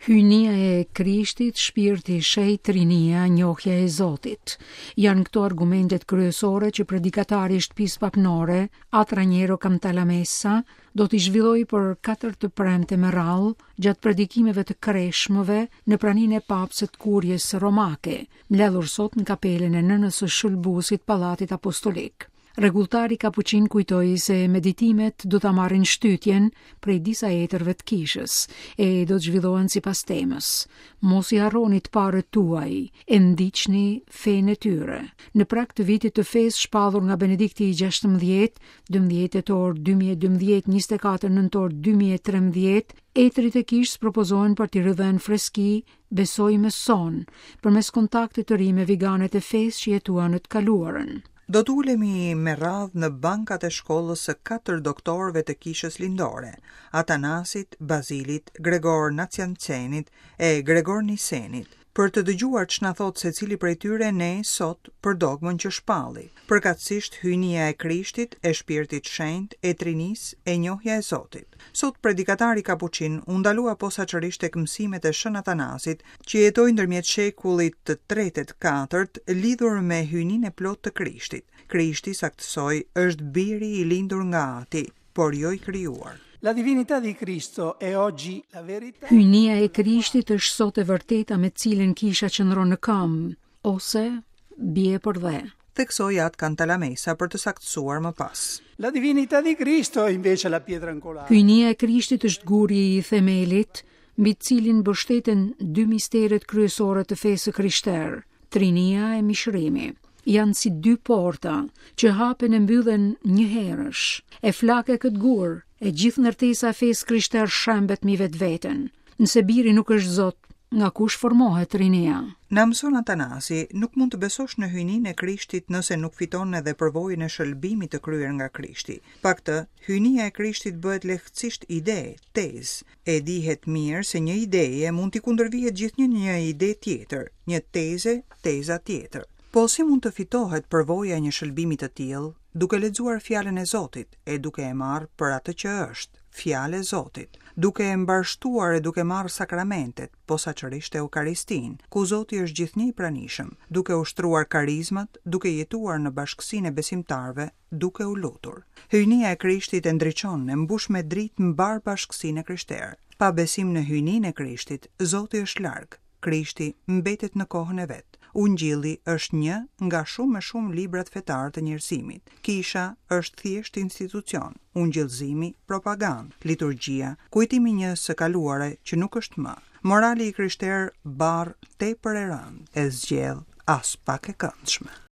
Hyjnia e Krishtit, Shpirti i Shenjtë, Trinia, njohja e Zotit. Janë këto argumentet kryesore që predikatari i shtëpisë papnore, At Raniero Cantalamessa, do t'i zhvillojë për katër të premte me radhë gjatë predikimeve të kreshmëve në praninë e papës e të Kuries Romake, mbledhur sot në kapelën e Nënës së Shëlbuesit Pallatit Apostolik. Rregulltari kapuçin kujtoi se meditimet do ta marrin shtytjen prej disa etërve të kishës e do të zhvillohen sipas temës. Mos i harroni të parët tuaj e ndiqni fenë e tyre. Në prag të vitit të fesë shpallur nga Benedikti i 16, 12 tetor 2012, 24 nëntor 2013, etërit e kishës propozohen për t'i ridhënë freski besojmës sonë, përmes kontaktit të ri me viganët e fesë që jetuan në të kaluarën. Do të ulemi me radhë në bankat e shkollës së katër doktorëve të Kishës Lindore, Atanasit, Bazilit, Gregor Naciancenit e Gregor Nisenit, për të dëgjuar ç'na thotë secili prej tyre ne sot për dogmën që shpalli, përkatësisht hyjnia e Krishtit, e Shpirtit Shenjt, e Trinisë, e njohja e Zotit. Sot predikatari kapuçin u ndalua posaçërisht tek mësimet e Shën Atanasit, që jetoi ndërmjet shekullit të tretë e të katërt, lidhur me hyjninë e plotë të Krishtit. Krishti, saktësoi, është Biri i lindur nga Ati, por jo i krijuar. La divinità di Cristo è oggi la verità. Hyjnia e Krishtit është sot e vërteta me të cilën kisha qëndron në këmbë, ose bie përdhe. Theksoi At Cantalamessa për të saktësuar më pas. La divinità di Cristo è invece la pietra angolare. Hyjnia e Krishtit është guri i themelit, mbi të cilin mbështeten dy misteret kryesore të fesë së krishterë, Trinia e Mishërimi. Janë si dy porta që hapen e mbyllen njëherësh. E flake këtë gur, e gjithë ndërtesa e fesë krishterë shembet mbi vetveten. Nëse biri nuk është Zot, nga kush formohet Trinia? Na mëson Atanasi, nuk mund të besosh në hyjninë e Krishtit nëse nuk fiton edhe përvojën e shëlbimit të kryer nga Krishti. Pa këtë, hyjnia e Krishtit bëhet lehtësisht ide, tezë. E dihet mirë se një ideje mund t'i kundërvihet gjithnjë një ide tjetër, një teze, teza tjetër. Po si mund të fitohet përvoja e një shëlbimi të tillë? Duke lexuar Fjalën e Zotit e duke e marrë për atë që është, Fjalë e Zotit, duke e mbarështuar e duke marrë sakramentet, posaçërisht Eukaristinë, ku Zoti është gjithnjë i pranishëm, duke ushtruar karizmat, duke jetuar në bashkësinë e besimtarëve, duke u lutur. Hyjnia e Krishtit e ndriçon, e mbush me dritë mbarë bashkësinë e krishterë. Pa besim në hyjninë e Krishtit, Zoti është larg, Krishti mbetet në kohën e vet. Ungjilli është një nga shumë e shumë librat fetarë të njerëzimit. Kisha është thjesht institucion, ungjillëzimi propagandë, liturgjia kujtim i një së kaluare që nuk është më. Morali i krishterë barrë tepër e rëndë, e zgjedhë aspak e këndshme.